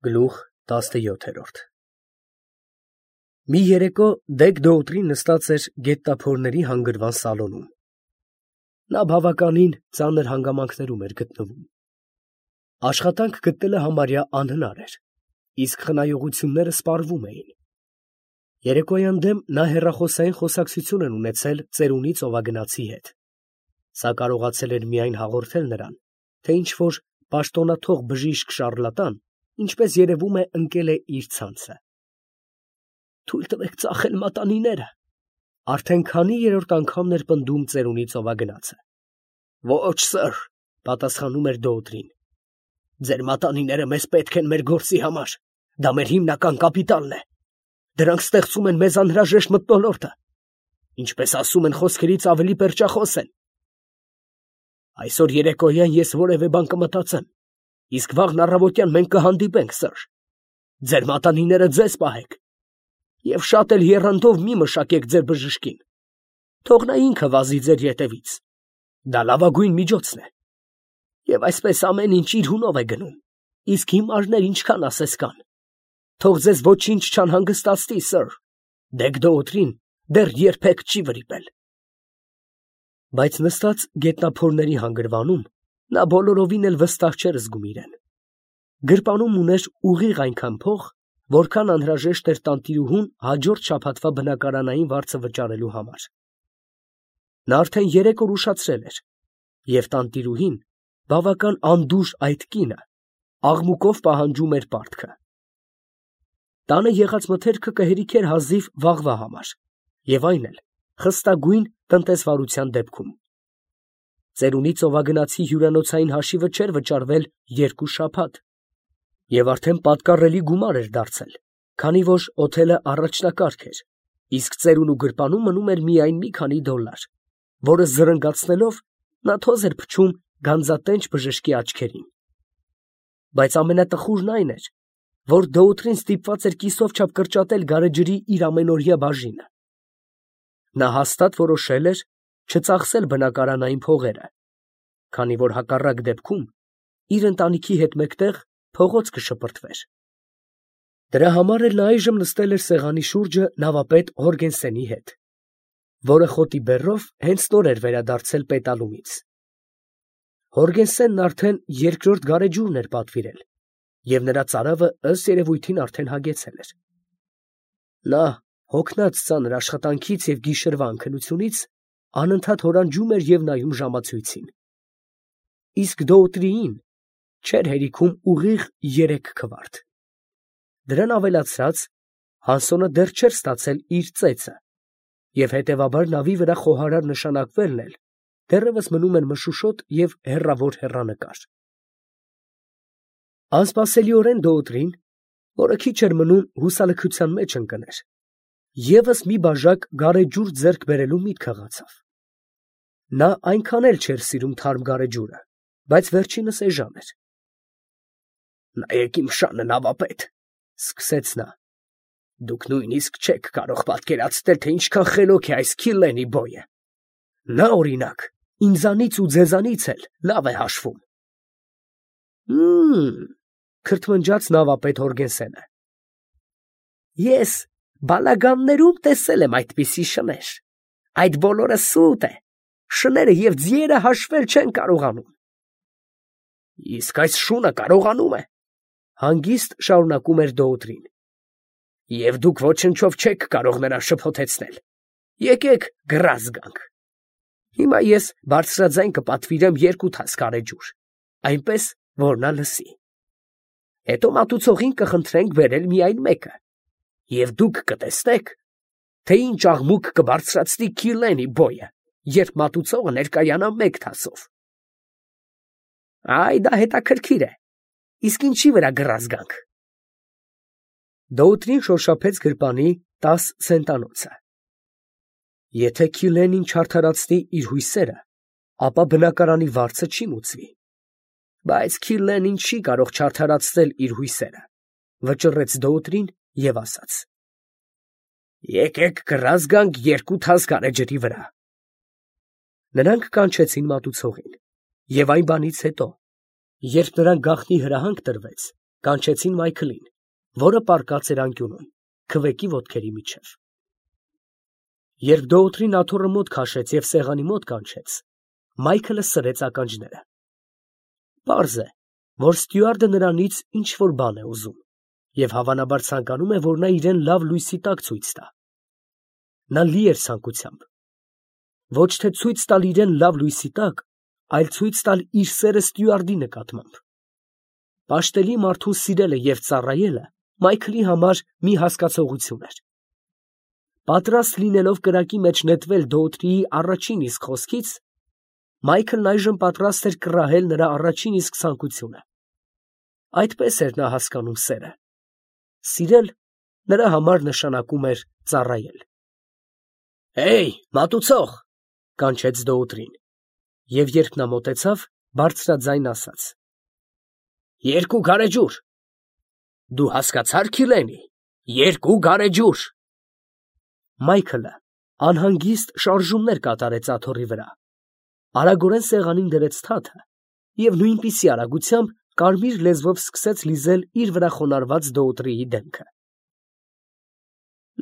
Գլուխ 17 Մի երեկո Դեգ Դոուտրին նստած էր գետնափորների հանգրվան սալոնում։ Նա բավականին ծանր հանգամանքներում էր գտնվում։ Աշխատանք գտնելը համարյա անհնար էր, իսկ խնայողությունները սպառվում էին։ Երեկոյան դեմ նա հեռախոսային խոսակցություն էր ունեցել ծերունի ծովագնացի հետ, սա կարողացել էր միայն հաղորդել նրան, թե ինչ-որ պաշտոնաթող բժիշկ շառլատան, ինչպես երևում է, ընկել է իր ցանցը։ «Թույլ տվեք ծախել մատանիները», արդեն քանի երրորդ անգամն էր պնդում ծերունի ծովագնացը։ «Ոչ, սըր», պատասխանում էր Դոուտրին, «ձեր մատանիները մեզ պետք են մեր գործի համար, դա մեր հիմնական կապիտալն է, դրանք ստեղծում են մեզ անհրաժեշտ մթնոլորտը, ինչպես ասում են խոսքերից ավելի պերճախոս են։ Այսօր երեկոյան ես որևէ բան կմտածեմ, իսկ վաղն առավոտյան մենք կհանդիպենք, սըր, ձեր մատանիները ձեզ պահեք, և շատ էլ եռանդով մի մշակեք ձեր բժշկին, թող նա ինքը վազի ձեր ետևից, դա լավագույն միջոցն է, և այսպես ամեն ինչ իր հունով է գնում, իսկ հիմարներ ինչքան ասես կան, թող ձեզ ոչինչ չանհանգստացնի, սըր, Դեգ Դոուտրին դեռ երբեք չի վրիպել»։ Բայց նստած գետնափորների հանգրվանում նա բոլորովին էլ վստահ չէր զգում իրեն։ Գրպանում ուներ ուղիղ այնքան փող, որքան անհրաժեշտ էր տանտիրուհուն հաջորդ շաբաթվա բնակարանային վարձը վճարելու համար։ Նա արդեն 3 օր ուշացրել էր, և տանտիրուհին, բավական անդուժ այդ կինը, աղմուկով պահանջում էր պարտքը։ Տանը եղած մթերքը կհերիքեր հազիվ վաղվա համար, և այն էլ խստագույն տնտեսվարության դեպքում։ Ծերունի ծովագնացի հյուրանոցային հաշիվը չէր վճարվել 2 շաբաթ, և արդեն պատկառելի գումար էր դարձել, քանի որ օթելը առաջնակարգ էր, իսկ ծերունու գրպանում մնում էր միայն մի քանի $, որը զրնգացնելով նա թոզ էր փչում գանձատենչ բժշկի աչքերին։ Բայց ամենատխուրն այն էր, որ Դոուտրին ստիպված էր կիսով չափ կրճատել գարեջրի իր ամենօրյա բաժինը։ Նա հաստատ որոշել էր չծախսել բնակարանային փողերը, քանի որ հակառակ դեպքում իր ընտանիքի հետ մեկտեղ փողոց կշպրտվեր։ Դրա համար էլ նա այժմ նստել էր սեղանի շուրջը նավապետ Հորգենսենի հետ, որը խոտի բեռով հենց նոր էր վերադարձել պետալումից։ Հորգենսենն արդեն 2-րդ գարեջուրն էր պատվիրել, և նրա ծարավը ըստ երևույթին արդեն հագեցել էր։ Նա, հոգնած ծանր աշխատանքից և գիշերվա անքնությունից, անընդհատ հորանջում էր և նայում ժամացույցին։ Իսկ Դոուտրիին չէր հերիքում ուղիղ 3 քվարտ։ Դրան ավելացրած, Հանսոնը դեռ չէր ստացել իր ծեծը, և հետևաբար նավի վրա խոհարար նշանակվելն էլ դեռևս մնում էր մշուշոտ և հեռավոր հեռանկար։ Անսպասելիորեն Դոուտրին, որը քիչ էր մնում հուսալքության մեջ ընկներ, ևս մի բաժակ գարեջուր ձեռք բերելու միտք հղացավ։ Նա այնքան էլ չէր սիրում թարմ գարեջուրը, բայց վերջինս էժան էր։ «Նայեք իմ շանը, նավապետ», ֊ սկսեց նա, «դուք նույնիսկ չեք կարող պատկերացնել, թե ինչքան խելոք է այս Քիլլենի բոյը. նա, օրինակ, ինձանից ու ձեզանից էլ լավ է հաշվում»։ Քրթմնջաց նավապետ Հորգենսենը։ «Ես բալագաններում տեսել եմ այդպիսի շներ, այդ բոլորը սուտ է, շները և ձիերը հաշվել չեն կարողանում»։ «Իսկ այս շունը կարողանում է», ֊ հանգիստ շարունակում էր Դոուտրին, «և դուք ոչնչով չեք կարող նրան շփոթեցնել, եկեք գրազ գանք։ Հիմա ես բարձրաձայն կպատվիրեմ 2 թաս գարեջուր, այնպես, որ նա լսի։ Հետո մատուցողին կխնդրենք բերել միայն մեկը, և դուք կտեսնեք, թե ինչ աղմուկ կբարձրացնի Քիլլենի բոյը, երբ մատուցողը ներկայանա 1 թասով։ Այ դա հետաքրքիր է, իսկ ինչի վրա գրազ գանք»։ Դոուտրին շոշափեց գրպանի 10 ցենտանոցը։ Եթե Քիլլենին չարդարացնի իր հույսերը, ապա բնակարանի վարձը չի մուծվի։ Բայց Քիլլենին չի կարող չարդարացնել իր հույսերը, վճռեց Դոուտրին և ասաց. «Եկեք գրազ գանք 2 թաս գարեջրի վրա»։ Նրանք կանչեցին մատուցողին, և այն բանից հետո, երբ նրան գաղտնի հրահանգ տրվեց, կանչեցին Մայքլին, որը պառկած էր անկյունում, քվեկի ոտքերի միջև։ Երբ դոոթրին աթոռը մոտ քաշեց և սեղանի մոտ կանչեց, Մայքլը սրեց ականջները։ Պարզ է, որ ստյուարդը նրանից ինչ-որ բան է ուզում և հավանաբար ցանկանում է, որ նա իրեն լավ լույսի տակ ցույց տա։ Նա լի էր ցանկությամբ։ Ոչ թե ցույց տալ իրեն լավ լույսի տակ, այլ ցույց տալ իր սերը ստյուարդի նկատմամբ։ Պաշտելի մարդուն սիրելը և ծառայելը Մայքլի համար մի հասկացողություն էր։ Պատրաստ լինելով կրակի մեջ նետվել դոոթրիի առաջին իսկ խոսքից, Մայքլն այժմ պատրաստ էր կռահել նրա առաջին իսկ ցանկությունը։ Այդպես էր նա հասկանում սերը։ Սիրել նրա համար նշանակում էր ծառայել։ «Հեյ, մատուցող», կանչեց դոոթրին, և երբ նա մոտեցավ, բարձրաձայն ասաց. «2 գարեջուր»։ «Դու հասկացա՞ր, Քիլենի, 2 գարեջուր»։ Մայքլը անհանգիստ շարժումներ կատարեց աթոռի վրա, արագորեն սեղանին դրեց թաթը և նույնպիսի արագությամբ կարմիր լեզվով սկսեց լիզել իր վրա խոնարհված դոոթրիի դեմքը։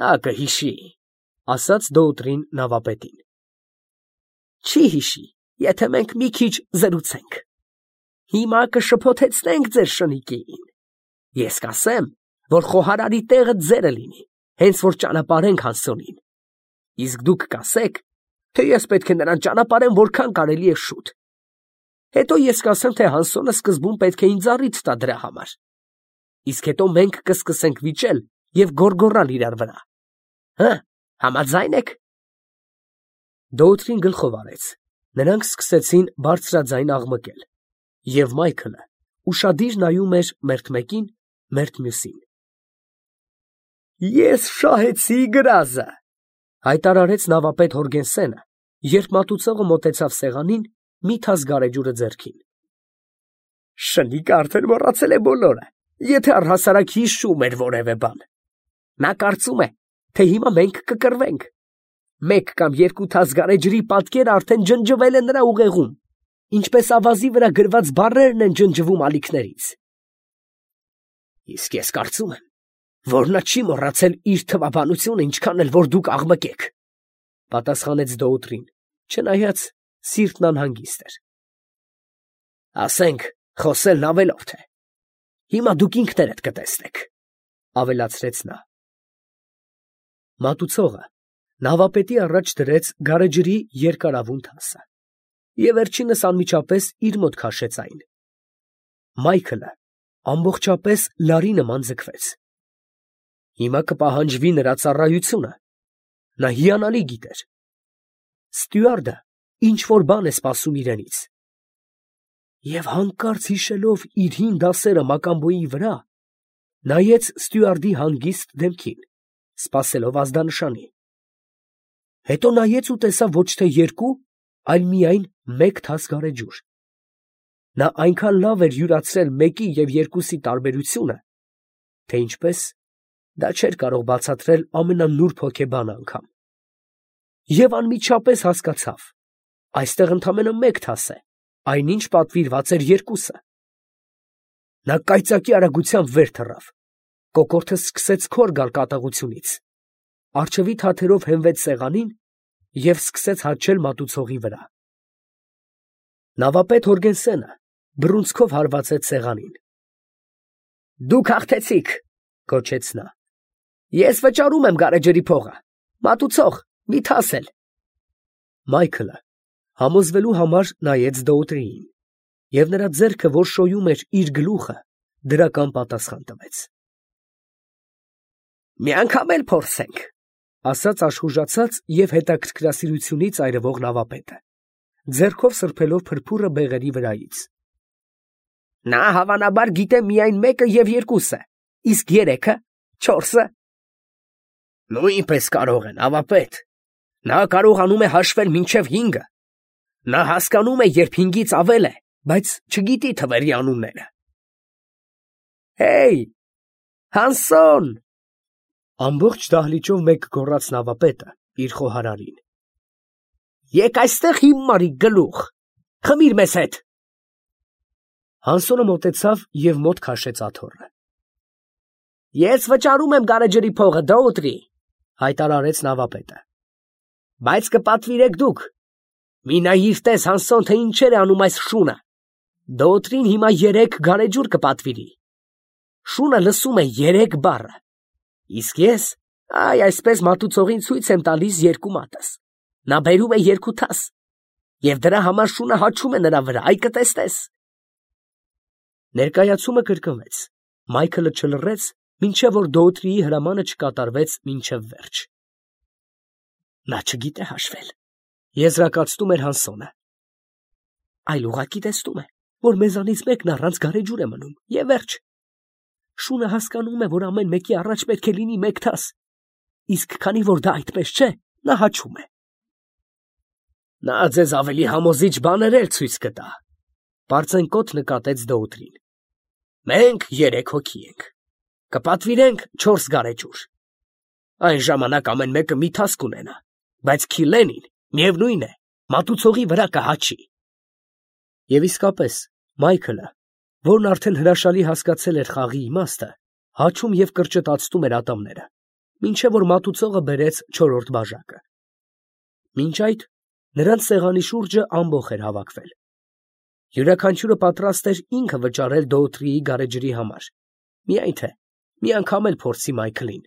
«Նա կհիշի», ասաց դոոթրին նավապետին։ «Չի հիշի, եթե մենք մի քիչ զրուցենք։ Հիմա կշփոթեցնենք ձեր շնիկին։ Ես կասեմ, որ խոհարարի տեղը ձերը լինի, հենց որ ճանապարհենք Հանսոնին։ Իսկ դուք կասեք, թե ես պետք է նրան ճանապարհեմ որքան կարելի է շուտ։ Հետո ես կասեմ, թե Հանսոնը սկզբում պետք է ինձ առիթ տա դրա համար։ Իսկ հետո մենք կսկսենք վիճել և գոռգոռալ իրար վրա։ Հը, համաձայն եք»։ Դոոթրին գլխով արեց։ Նրանք սկսեցին բարձրաձայն աղմկել, և Մայքլը ուշադիր նայում էր մերթ մեկին, մերթ մյուսին։ «Ես շահեցի գրազը», հայտարարեց նավապետ Հորգենսենը, երբ մատուցողը մոտեցավ սեղանին, մի թաս գարեջուրը ձեռքին։ «Շնիկը արդեն մոռացել է բոլորը, եթե առհասարակ հիշում էր որևէ բան։ Նա կարծում է, թե հիմա մենք կկռվենք։ 1 կամ 2 թաս գարեջրի պատկերը արդեն ջնջվել է նրա ուղեղում, ինչպես ավազի վրա գրված բառերն են ջնջվում ալիքներից։ Իսկ ես կարծում եմ, որ նա չի մոռացել իր թվաբանությունը, ինչքան էլ որ դուք աղմկեք», պատասխանեց դոոթրին, չնայած սիրտն անհանգիստ էր։ «Ասենք, խոսելն ավելորդ է։ Հիմա դուք ինքներդ կտեսնեք», ավելացրեց նա։ Մատուցողը նավապետի առաջ դրեց գարեջրի երկարավուն թասը և վերջինս անմիջապես իր մոտ քաշեց այն։ Մայքլը ամբողջապես լարի նման ձգվեց։ Հիմա կպահանջվի նրա ծառայությունը։ Նա հիանալի գիտեր։ Ստյուարդը ինչ-որ բան է սպասում իրենից։ Եվ հանկարծ հիշելով իր հին դասերը Մակամբոյի վրա, նայեց ստյուարդի հանգիստ դեմքին, սպասելով ազդանշանի։ Հետո նայեց ու տեսավ ոչ թե 2, այլ միայն 1 թաս գարեջուր։ Նա այնքան լավ էր յուրացրել 1-ի և 2-ի տարբերությունը, թե ինչպես դա չէր կարող բացատրել ամենանուրբ հոգեբանը անգամ։ Եվ անմիջապես հասկացավ. այստեղ ընդամենը 1 թաս է, այնինչ պատվիրված էր 2-ը։ Նա կայծակի արագությամբ վեր թռավ, կոկորդը սկսեց քոր գալ կատաղությունից, առջևի թաթերով հենվեց սեղանին և սկսեց հաչել մատուցողի վրա։ Նավապետ Հորգենսենը բռունցքով հարվածեց սեղանին։ «Դուք հաղթեցիք», գոչեց նա։ «Ես վճարում եմ գարեջրի փողը։ Մատուցող, մի թաս էլ»։ Մայքլը համոզվելու համար նայեց դոոթրիին, և նրա ձեռքը, որ շոյում էր իր գլուխը, դրական պատասխան տվեց։ «Մի անգամ էլ փորձենք», ասաց աշխուժացած և հետաքրքրասիրությունից այրվող նավապետը, ձեռքով սրբելով փրփուրը բեղերի վրայից։ «Նա հավանաբար գիտե միայն 1-ը և 2-ը, իսկ 3-ը, 4-ը»։ «Նույնպես կարող է, նավապետ։ Նա կարողանում է հաշվել մինչև 5-ը։ Նա հասկանում է, երբ 5-ից ավել է, բայց չգիտի թվերի անունները»։ «Հեյ, Հանսոն», ամբողջ դահլիճով մեկ գոռաց նավապետը իր խոհարարին։ «Եկ այստեղ, հիմարի գլուխ, խմիր մեզ հետ»։ Հանսոնը մոտեցավ և մոտ քաշեց աթոռը։ Ես վճարում եմ գարեջրի փողը, դոուտրի, հայտարարեց նավապետը։ Բայց կպատվիրեք դուք։ Մի նայիր տես Հանսոն, թե ինչեր է անում այս շունը։ Դոուտրին հիմա 3 գարեջուր կպատվիրի։ Շունը լսում է 3 բառը։ Իսկ ես, այսպես մատուցողին ցույց եմ տալիս 2 մատս։ Նա բերում է 2 թաս։ Եվ դրա համար շունը հաչում է նրա վրա, այ կտեսնես։ Ներկայացումը կրկնվեց։ Մայքլը չլռեց, մինչև որ Դոուտրիի հրամանը չկատարվեց մինչև վերջ։ Նա չգիտե հաշվել, եզրակացնում էր Հանսոնը։ Այլ ուղղակի տեսնում է, որ մեզանից մեկն առանց գարեջուր է մնում, և վերջ։ Շունը հասկանում է, որ ամեն մեկի առաջ պետք է լինի 1 թաս, իսկ քանի որ դա այդպես չէ, նա հաչում է։ Նա ձեզ ավելի համոզիչ բաներ էլ ցույց կտա, պարծենկոտ նկատեց Դոուտրին։ Մենք 3 հոգի ենք, կպատվիրենք 4 գարեջուր։ Այն ժամանակ ամեն մեկը մի թաս կունենա, բայց Քիլենին միևնույն է, մատուցողի վրա կհաչի։ Եվ իսկապես, Մայքլը, որն արդեն հրաշալի հասկացել էր խաղի իմաստը, հաչում և կրճտացնում էր ատամները, մինչև որ մատուցողը բերեց 4-րդ բաժակը։ Մինչ այդ նրանց սեղանի շուրջը ամբոխ էր հավաքվել։ Յուրաքանչյուրը պատրաստ էր ինքը վճարել Դոուտրիի գարեջրի համար, միայն թե մի անգամ էլ փորձի Մայքլին։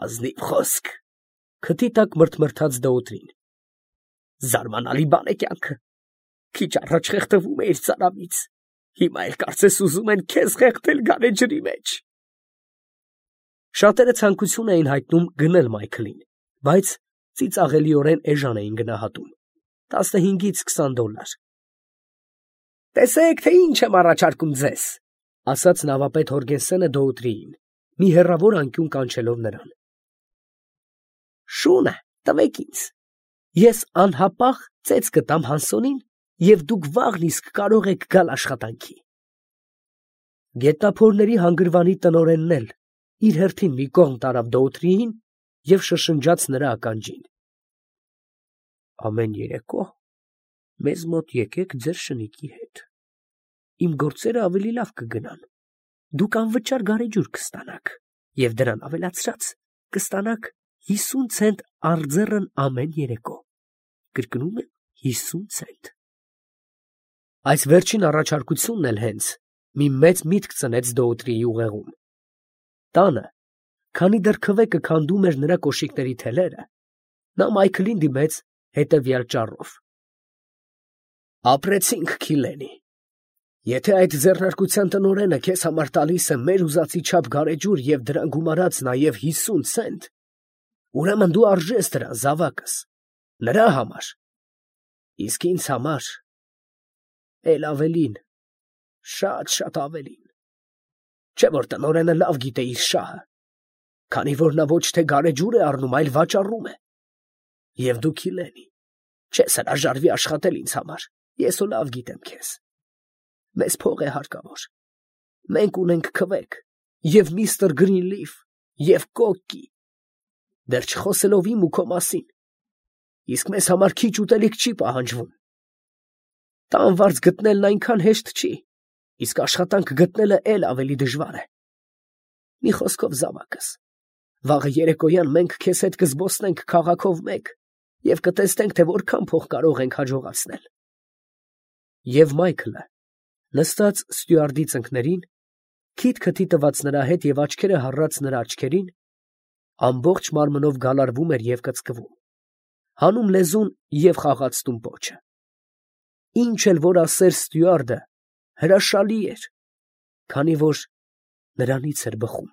Ազնիվ խոսք, քթի տակ մրթմրթաց Դոուտրին։ Զարմանալի բան է կյանքը։ Քիչ առաջ խեղդվում էիր ծարավից, հիմա էլ կարծես ուզում են քեզ խեղդել գարեջրի մեջ։ Շատերը ցանկություն էին հայտնում գնել Մայքլին, բայց ծիծաղելիորեն էժան էին գնահատում, 15-ից 20 դոլար։ Տեսեք, թե ինչ եմ առաջարկում ձեզ, ասաց նավապետ Հորգենսենը Դոուտրիին, մի հեռավոր անկյուն կանչելով նրան։ Շունը տվեք ինձ, ես անհապաղ ծեծ կտամ Հանսոնին, և դուք վաղն իսկ կարող եք գալ աշխատանքի։ Գետնափորների հանգրվանի տնօրենն էլ իր հերթին մի կողմ տարավ Դոուտրիին և շշնջաց նրա ականջին։ Ամեն երեկո մեզ մոտ եկեք ձեր շնիկի հետ։ Իմ գործերը ավելի լավ կգնան։ Դուք անվճար գարեջուր կստանաք, և դրան ավելացրած կստանաք 50 ցենտ արձեռն ամեն երեկո։ Կրկնում եմ, 50 ցենտ։ Այս վերջին առաջարկությունն էլ հենց մի մեծ միտք ծնեց Դոուտրիի ուղեղում։ Տանը, քանի դեռ քվեկը քանդում էր նրա կոշիկների թելերը, նա Մայքլին դիմեց հետևյալ ճառով. Ապրեցինք, Քիլենի։ Եթե այդ ձեռնարկության տնօրենը քեզ համար տալիս է մեր ուզածի չափ գարեջուր և դրան գումարած նաև 50 ցենտ, ուրեմն դու արժես դրան, զավակս, նրա համար, իսկ ինձ համար էլ ավելին, շատ ավելին։ Չէ՞ որ տնօրենը լավ գիտե իր շահը, քանի որ նա ոչ թե գարեջուր է առնում, այլ վաճառում է։ Եվ դու, Քիլենի, չես հրաժարվի աշխատել ինձ համար, ես ու լավ գիտեմ քեզ։ Մեզ փող է հարկավոր։ Մենք ունենք քվեք, և միստր Գրինլիֆ, և կոկկի, դեռ չխոսելով իմ ու քո մասին, իսկ մեզ համար քիչ ուտելիք չի պահանջվում։ Տան վարձ գտնելն այնքան հեշտ չի, իսկ աշխատանք գտնելը էլ ավելի դժվար է։ Մի խոսքով, զավակս, վաղը երեկոյան մենք քեզ հետ կզբոսնենք քաղաքով մեկ և կտեսնենք, թե որքան փող կարող ենք հաջողացնել։ Եվ Մայքլը, նստած ստյուարդի ծնկներին, քիթ տված նրա հետ և աչքերը հառած նրա աչքերին, ամբողջ մարմնով գալարվում էր և կծկվում, հանում լեզուն և խաղացնում պոչը։ Ինչ էլ որ ասեր ստյուարդը, հրաշալի էր, քանի որ նրանից էր բխում։